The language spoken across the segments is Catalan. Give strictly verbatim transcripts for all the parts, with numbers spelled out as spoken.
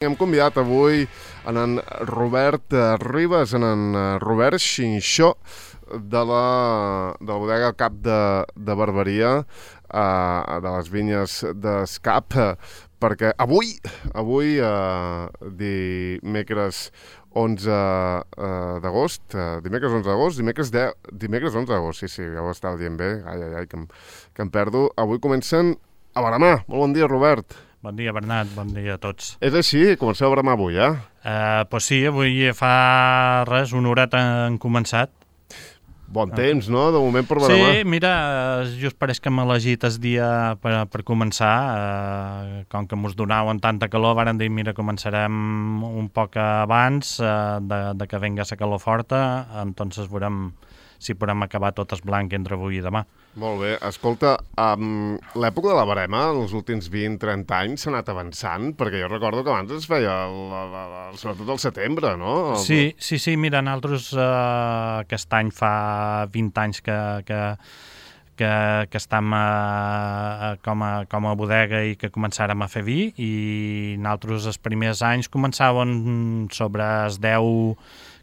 Hem convidat avui en en Robert Ribas, en en Robert Xinxó, de la, de la bodega al Cap de, de Barberia, eh, de les vinyes d'Escap, perquè avui, avui, eh, dimecres onze d'agost, eh, dimecres onze d'agost, dimecres, deu, dimecres onze d'agost, sí, sí, ja ho estava dient bé, ai, ai, ai, que em, que em perdo. Avui comencen a berenar. Molt bon dia, Robert. Bon dia, Bernat, bon dia a tots. És així, comenceu a berenar avui, eh? Uh, pues sí, avui fa res, una horeta han començat. Bon temps, no?, de moment per berenar. Sí, mira, just pareix que hem elegit el dia per, per començar. Uh, com que mos donaven tanta calor, varen dir, mira, començarem un poc abans uh, de, de que venga la calor forta, entonces veurem si podem acabar tot el blanc entre avui i demà. Molt bé. Escolta, um, l'època de la barema, els últims vint a trenta anys, s'ha anat avançant, perquè jo recordo que abans es feia, la, la, la, sobretot al setembre, no? El... Sí, sí, sí, mira, nosaltres uh, aquest any fa vint anys que, que, que, que estem uh, com, a, com a bodega i que començàrem a fer vi, i nosaltres els primers anys començaven sobre els deu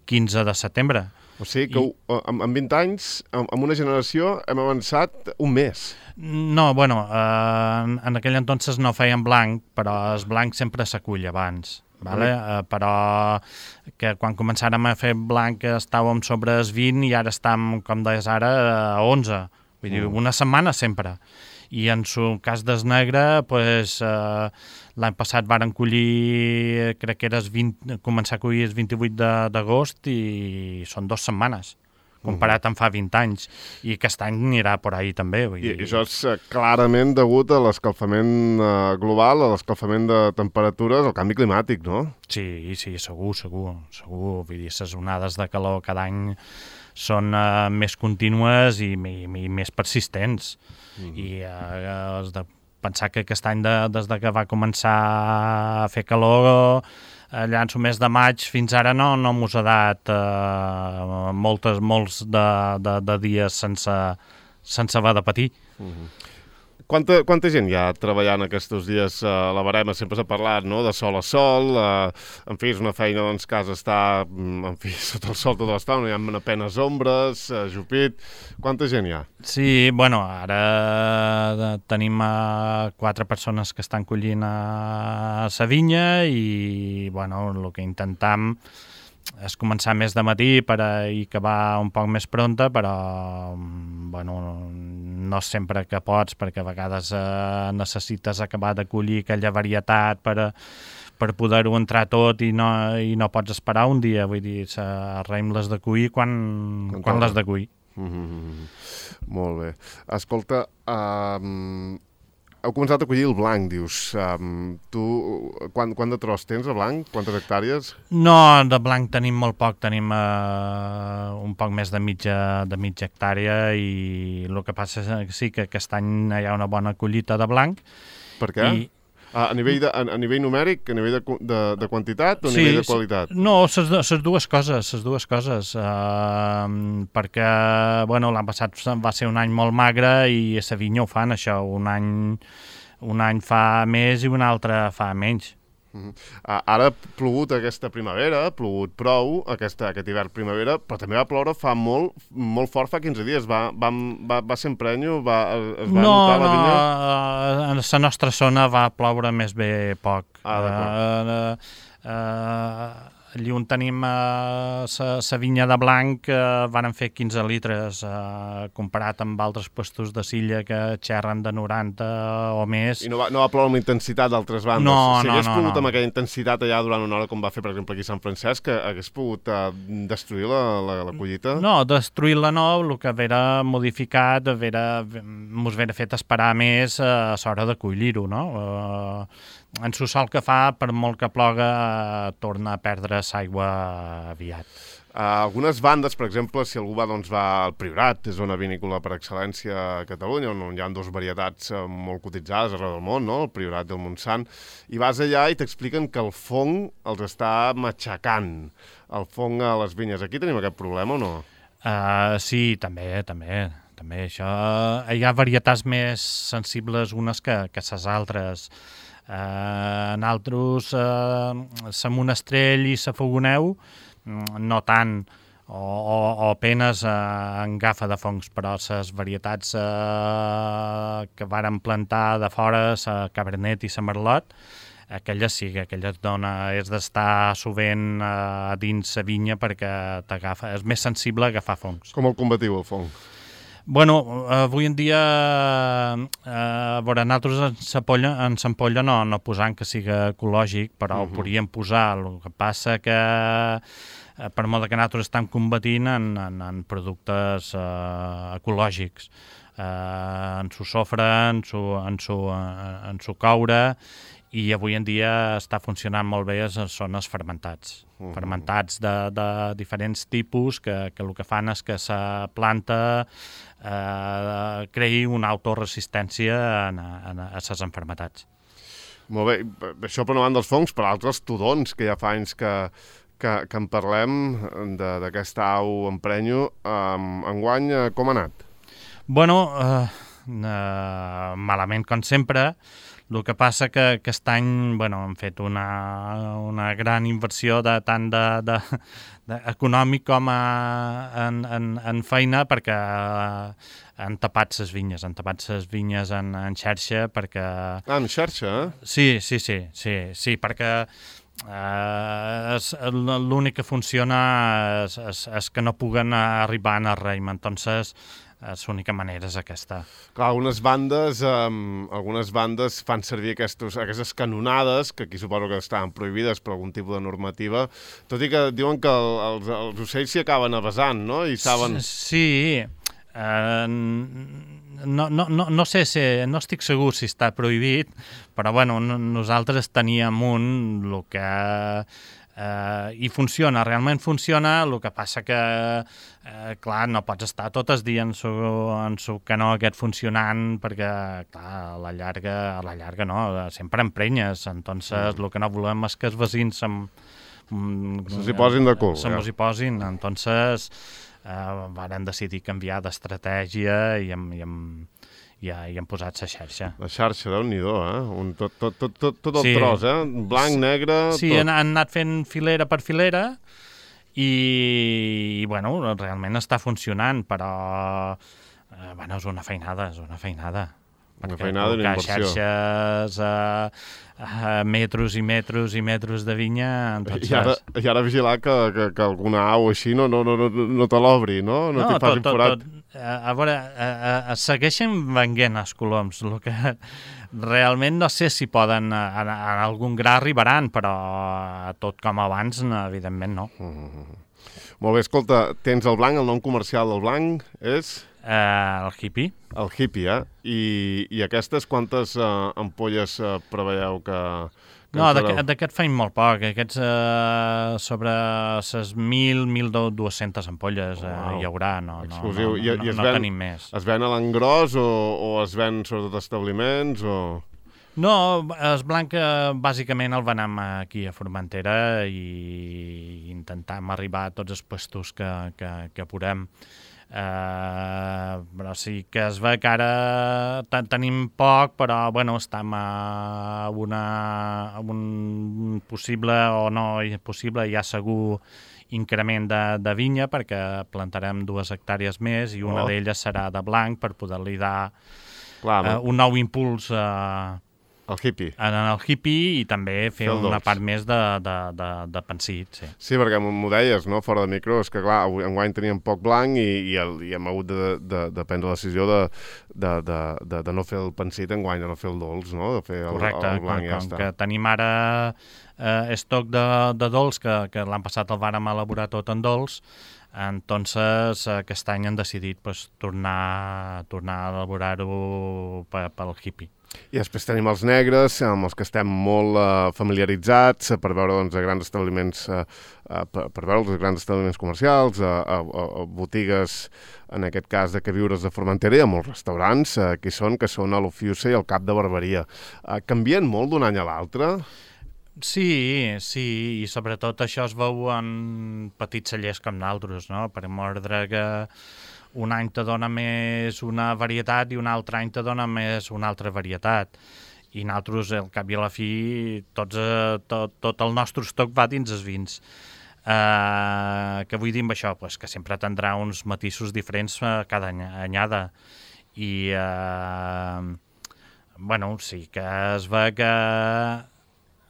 quinze de setembre. O sigui que I... en, en vint anys, en, en una generació, hem avançat un mes. No, bueno, eh, en, en aquell entonces no feien blanc, però el blanc sempre s'acull abans. Vale? Uh, però que quan començàrem a fer blanc estàvem sobre els vint i ara estem, com deies ara, a onze. Vull dir, una setmana sempre. I en el cas del negre, pues, eh, l'any passat varen collir, crec que era vint, començar a collir el vint-i-vuit d'agost i són dues setmanes, comparat amb fa vint anys. I aquest any anirà per ahí també. Vull I, dir. I això és clarament degut a l'escalfament eh, global, a l'escalfament de temperatures, al canvi climàtic, no? Sí, sí, segur, segur, segur. Vull dir, les onades de calor cada any són uh, més contínues i, i, i més persistents. Mm. I uh, has de pensar que aquest any, de, des de que va començar a fer calor, allà en el mes de maig fins ara no, no mos ha dat uh, moltes, molts de, de, de dies sense, sense haver de patir. Mm-hmm. Quanta, quanta gent hi ha treballant aquests dies a la barema? Sempre s'ha parlat, no?, de sol a sol, eh, en fi, és una feina doncs, que has d'estar, en fi, sota el sol tota l'estona, no hi ha apenes ombres, eh, jupit. Quanta gent hi ha? Sí, bueno, ara tenim uh, quatre persones que estan collint a la vinya i, bueno, el que intentam és començar més de matí per a acabar un poc més pronta, però bueno, no sempre que pots, perquè a vegades eh, necessites acabar de collir aquella varietat per, a, per poder-ho entrar tot i no, i no pots esperar un dia, vull dir, arreim les de cuir quan, quan, quan les de cuir. Mm-hmm. Molt bé. Escolta, um, heu començat a collir el blanc, dius. Um, tu, quant, quant de tros tens, de blanc? Quantes hectàrees? No, de blanc tenim molt poc, tenim uh, un poc més de mitja, de mitja hectàrea i el que passa és que sí que aquest any hi ha una bona collita de blanc. Per què? I... A, a, nivell de, a, a nivell numèric, a nivell de, de, de quantitat o a sí, nivell de qualitat? No, les dues coses, les dues coses, uh, perquè bueno, l'any passat va ser un any molt magre i a la vinya ho fan això, un any, un any fa més i un altre fa menys. Uh-huh. uh, ara ha plogut aquesta primavera, ha plogut prou aquesta, aquest hivern-primavera, però també va ploure fa molt, molt fort, fa quinze dies. Va, va, va, va ser emprenyo? Va, es va no, notar la vinya? No, en la nostra zona va ploure més bé poc. Ah, d'acord. Uh, uh, uh, allí on tenim la uh, vinya de blanc uh, van fer quinze litres, uh, comparat amb altres puestos de Silla que xerren de noranta o més. I no va, no va ploure amb intensitat d'altres bandes? No, si no, hagués no, pogut no. amb aquella intensitat allà durant una hora, com va fer, per exemple, aquí a Sant Francesc, que hagués pogut uh, destruir la, la, la collita? No, destruir-la no, el que vera modificat, vera, mos vera fet esperar més a l'hora de collir-ho, no? Uh, en el sol que fa, per molt que ploga, uh, torna a perdre l'aigua aviat. Uh, algunes bandes, per exemple, si algú va, doncs, va al Priorat, és zona vinícola per excel·lència a Catalunya, on hi ha dues varietats uh, molt cotitzades arreu del món, no?, el Priorat i el Montsant, i vas allà i t'expliquen que el fong els està matxacant, el fong a les vinyes. Aquí tenim aquest problema o no? Uh, sí, també, també. també això, hi ha varietats més sensibles unes que, que les altres. Eh, nosaltres, eh, la Monestrell i la Fogoneu, no tant, o, o, o apenes eh, en gafa de fongs, però les varietats eh, que vàrem plantar de fora, la Cabernet i la Merlot, aquelles sí, aquelles dona, és d'estar sovint eh, dins la vinya perquè t'agafa, és més sensible a agafar fongs. Com el combatiu, el fong? Bueno, avui en dia, eh, a veure, nosaltres en l'ampolla en l'ampolla no, no posant que sigui ecològic, però uh -huh. ho podríem posar. El que passa que, eh, per molt que nosaltres estem combatint en, en, en productes eh, ecològics, eh, en su sofre, en su, en su, en su coure, i avui en dia està funcionant molt bé, són els fermentats. Uh -huh. Fermentats de, de diferents tipus que, que el que fan és que la planta eh, creï una autoresistència en, en, a les enfermetats. Molt bé, això per davant dels fongs, per altres tudons, que ja fa anys que, que, que en parlem d'aquesta au emprenyo. Um, enguany, com ha anat? Bueno, eh, eh, malament com sempre. El que passa que aquest any bueno, hem fet una, una gran inversió de, tant de, de, de econòmic com a, en, en, en feina, perquè eh, han tapat les vinyes, han tapat les vinyes en, en xarxa perquè... Ah, en xarxa, eh? Sí, sí, sí, sí, sí perquè eh, l'únic que funciona és, és, és que no puguen arribar en el raïm, entonces l'única manera és aquesta. Clar, algunes bandes, um, algunes bandes fan servir aquestos, aquestes canonades, que aquí suposo que estaven prohibides per algun tipus de normativa, tot i que diuen que el, els, els ocells s'hi acaben avasant, no? I saben... Sí, uh, no, no, no, no sé si, no estic segur si està prohibit, però bueno, nosaltres teníem un, el que... Uh, i funciona, realment funciona, el que passa que, uh, clar, no pots estar tot el dia en su, en su canó aquest funcionant, perquè, clar, a la llarga, a la llarga no, sempre emprenyes, entonces mm. el que no volem és que els veïns se'm, se s'hi posin de cul. Se mos hi posin, entonces uh, varen decidir canviar d'estratègia i hem, i hem Ja, ja hem posat la xarxa. La xarxa, Déu-n'hi-do, eh? Un, tot, tot, tot, tot, tot el sí. tros, eh? Blanc, negre... Sí, tot. han, han anat fent filera per filera i, i bueno, realment està funcionant, però eh, bueno, és una feinada, és una feinada. Una feinada i una inversió. Xarxes, a, a metros i metros i metros de vinya... I ara, i ara vigilar que, que, que alguna au així no, no, no, no, no te l'obri, no? No, no t'hi facin forat. Tot, tot. A veure, a, a, a segueixen venguent els coloms, el que realment no sé si poden, a, a, a algun gra arribaran, però tot com abans, no, evidentment no. Mm-hmm. Molt bé, escolta, tens el blanc, el nom comercial del blanc és... Uh, el hippie. El hippie, eh? I, i aquestes quantes uh, ampolles uh, preveieu que... que no, d'aquest feim molt poc. Aquests uh, sobre les mil, mil dues-centes ampolles uh, wow. hi haurà. No, exclusiu. No, no, I, no, i es no ven, tenim més. Es ven a l'engròs o, o es ven sobretot establiments o... No, el blanc bàsicament el venem aquí a Formentera i intentam arribar a tots els puestos que, que, que podem. Uh, però sí que es ve que ara tenim poc, però bueno, estem a, una, a un possible o no possible, ja segur increment de, de vinya, perquè plantarem dues hectàrees més i una oh. d'elles serà de blanc per poder-li dar Clar, uh, un nou impuls uh, El hippie. En el hippie i també fer Fel una dolç. part més de, de, de, de pensit, sí. Sí, perquè m'ho deies, no?, fora de micro, és que clar, enguany teníem poc blanc i, i, el, i hem hagut de, de, de prendre la decisió de, de, de, de, de no fer el pensit enguany, de no fer el dolç, no?, de fer el, Correcte, el blanc i ja com està. Que tenim ara eh, estoc de, de dolç, que, que l'any passat el vàrem elaborar tot en dolç, entonces aquest any han decidit pues, tornar, tornar a elaborar-ho pel hippie. I després tenim els negres, amb els que estem molt uh, familiaritzats, uh, per veure doncs, a grans establiments, uh, uh, per, per veure els grans establiments comercials, a uh, uh, uh, botigues, en aquest cas de queviures de Formentera, i a molts restaurants uh, que hi són, que són a l'Ofiusa i al Cap de Barberia. Uh, canvien molt d'un any a l'altre? Sí, sí, i sobretot això es veu en petits cellers com nosaltres, no? Per mordre que un any te dona més una varietat i un altre any te dona més una altra varietat. i nosaltres, al cap i a la fi, tots, eh, tot, tot el nostre estoc va dins els vins. Uh, què vull dir amb això? Pues que sempre tindrà uns matisos diferents uh, cada any, anyada. I, uh, bueno, sí que es ve que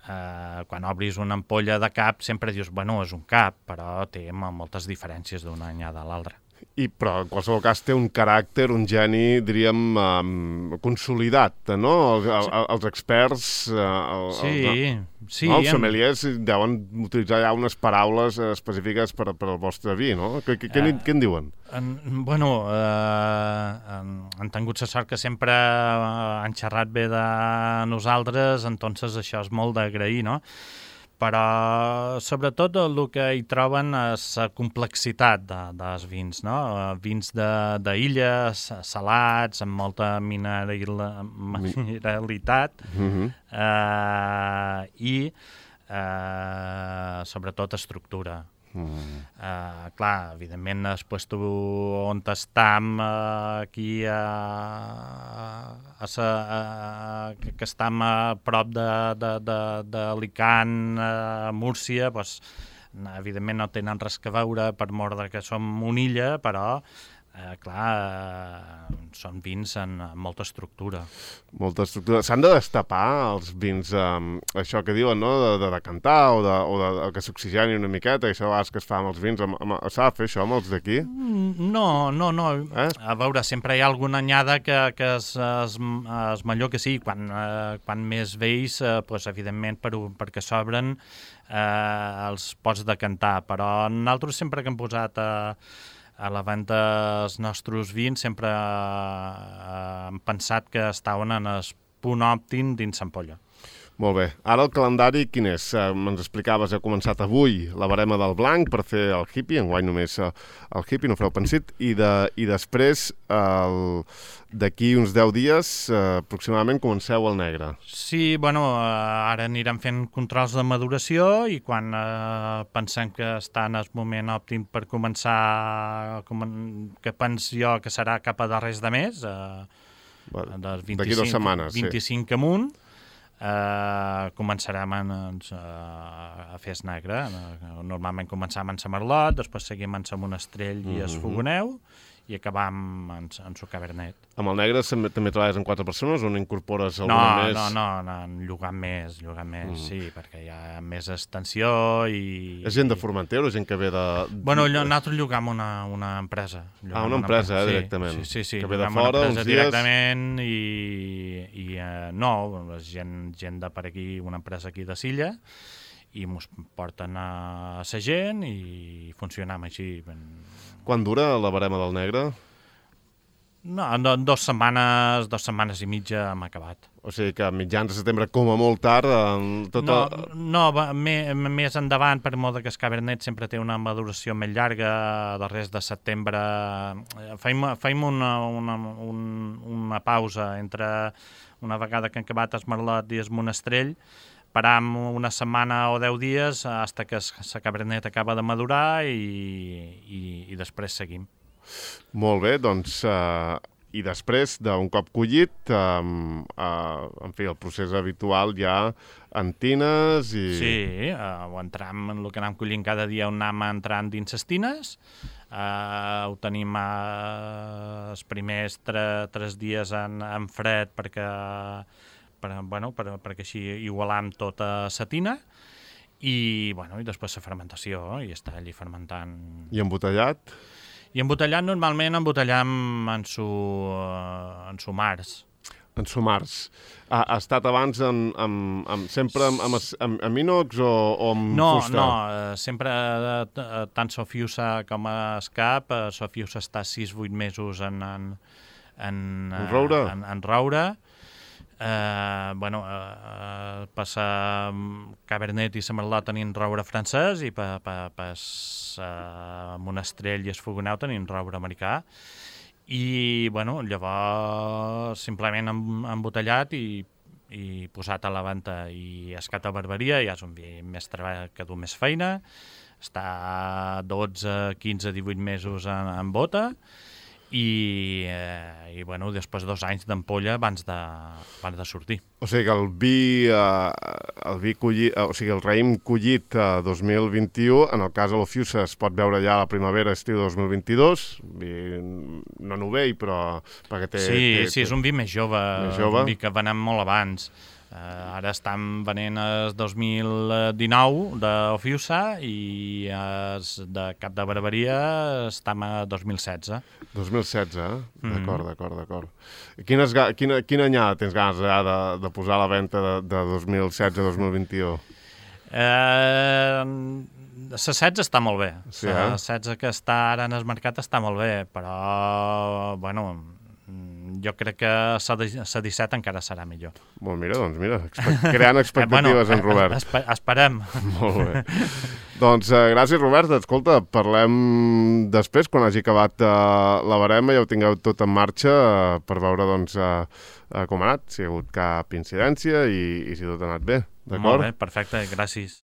uh, quan obris una ampolla de cap sempre dius, bueno, és un cap, però té moltes diferències d'una anyada a l'altra. I, però en qualsevol cas té un caràcter, un geni, diríem, um, consolidat, no? El, el, el, els experts, uh, el, sí, els, sí, no? Els en... sommeliers deuen utilitzar ja unes paraules específiques per, per al vostre vi, no? Què, què, uh, què en diuen? En, bueno, eh, han, han tingut la sort que sempre han xerrat bé de nosaltres, entonces això és molt d'agrair, no? Però sobretot el que hi troben és la complexitat de, dels vins, no? Vins d'illa, salats, amb molta mineral, mineralitat, mm-hmm. eh, i eh, sobretot estructura. Mm. Uh, clar, evidentment, després tu on estem uh, aquí a, a, a, a, que, que estem a prop d'Alicant, a Múrcia, pues, evidentment no tenen res que veure per mort que som una illa, però Eh, clar, eh, són vins amb molta estructura. Molta estructura. S'han de destapar els vins, eh, això que diuen, no?, de, de decantar o, de, o de, de que s'oxigeni una miqueta, això a vegades que es fa amb els vins. S'ha de fer això amb els d'aquí? No, no, no. Eh? A veure, sempre hi ha alguna anyada que, que és, és, és millor que sí. Quan, eh, quan més vells, eh, pues, evidentment, per, perquè s'obren, eh, els pots decantar. Però nosaltres sempre que hem posat... Eh, a la venda els nostres vins sempre eh, hem pensat que estaven en el punt òptim dins l'ampolla. Molt bé. Ara el calendari quin és? Eh, Ens explicaves, ha començat avui la barema del blanc per fer el hippie, enguany només eh, el hippie, no fareu pensit, i, de, i després el... d'aquí uns deu dies eh, aproximadament comenceu el negre. Sí, bueno, eh, ara anirem fent controls de maduració i quan eh, pensem que està en el moment òptim per començar, com, que pens jo que serà cap a darrers de mes, eh, bueno, dels vint-i-cinc, d'aquí dues setmanes, vint-i-cinc sí. Amunt, eh, començarem en, en, a fer es negre. Normalment començàvem en sa Merlot, després seguim en sa Monestrell i es Fogoneu, i acabam en, en su Cabernet. Amb el negre també treballes amb quatre persones o n'incorpores alguna no, més? No, no, no, llogant més, llogant més, mm. sí, perquè hi ha més extensió i... És gent de Formentera o gent que ve de... Bueno, nosaltres llogam una, una empresa. Ah, una empresa, una empresa, eh, directament. Sí, sí, sí, que ve de fora, uns dies... directament i, i uh, no, gent, gent de per aquí, una empresa aquí de Silla, i ens porten a la gent i funcionam així. Quan dura la barema del negre? No, en dues setmanes, dues setmanes i mitja hem acabat. O sigui que a mitjans de setembre, com a molt tard... Tot no, el... no més, més endavant, per molt que el Cabernet sempre té una maduració més llarga, darrers de setembre. Feim, feim una, una, un, una pausa entre una vegada que han acabat el Merlot i el Monestrell, param una setmana o deu dies fins que la Cabernet acaba de madurar i, i, i després seguim. Molt bé, doncs, uh, i després d'un cop collit, um, uh, en fi, el procés habitual ja en tines i... Sí, uh, ho entram en el que anem collint cada dia, on anem entrant dins les tines, uh, ho tenim uh, els primers tre, tres dies en, en fred perquè... Per, bueno, per, perquè així igualam tota la tina i, bueno, i després la fermentació i està allí fermentant. I embotellat? I embotellat normalment embotellam en su, en su març. En su març. Ha, ha estat abans en, en, en, sempre amb, amb, amb, amb inox o, o amb no, fusta? No, no, sempre tant Sofiusa com Escap, Sofiusa està sis vuit mesos en, en, en, en roure. En, en roure. Uh, bueno, uh, passa Cabernet i Merlot tenint roure francès i per pa, pa, uh, Monestrell i el Fogoneu tenint roure americà i bueno, llavors simplement embotellat i, i posat a la venda i escat a barberia, ja és un vi més treball que du més feina, està dotze, quinze, divuit mesos en, en bota i, eh, i bueno, després dos anys d'ampolla abans de, abans de sortir. O sigui que el vi, eh, el vi collit, o sigui, el raïm collit eh, dos mil vint-i-u, en el cas de l'Ofiusa es pot veure ja a la primavera, estiu dos mil vint-i-dos, vi no novell, però perquè té... Sí, té, sí, és un vi més jove, més jove. un vi que venem molt abans. Uh, ara estan venent el dos mil dinou d'Ofiusa i es de Cap de Barberia estem a dos mil setze. dos mil setze, eh? Mm. D'acord, d'acord, d'acord. Quines, quina, quina anyada tens ganes ja de, de posar a la venda de, de dos mil setze a dos mil vint-i-u? Eh, la setze està molt bé. Sí, La eh? setze que està ara en el mercat està molt bé, però, bueno, jo crec que la disset encara serà millor. Bon, mira, doncs mira, expe creant expectatives eh, bueno, en Robert. Espe esperem. Molt bé. Doncs eh, gràcies, Robert. Escolta, parlem després, quan hagi acabat eh, la barema, ja ho tingueu tot en marxa eh, per veure doncs, eh, eh, com ha anat, si hi ha hagut cap incidència i, i si tot ha anat bé. Molt bé, perfecte, gràcies.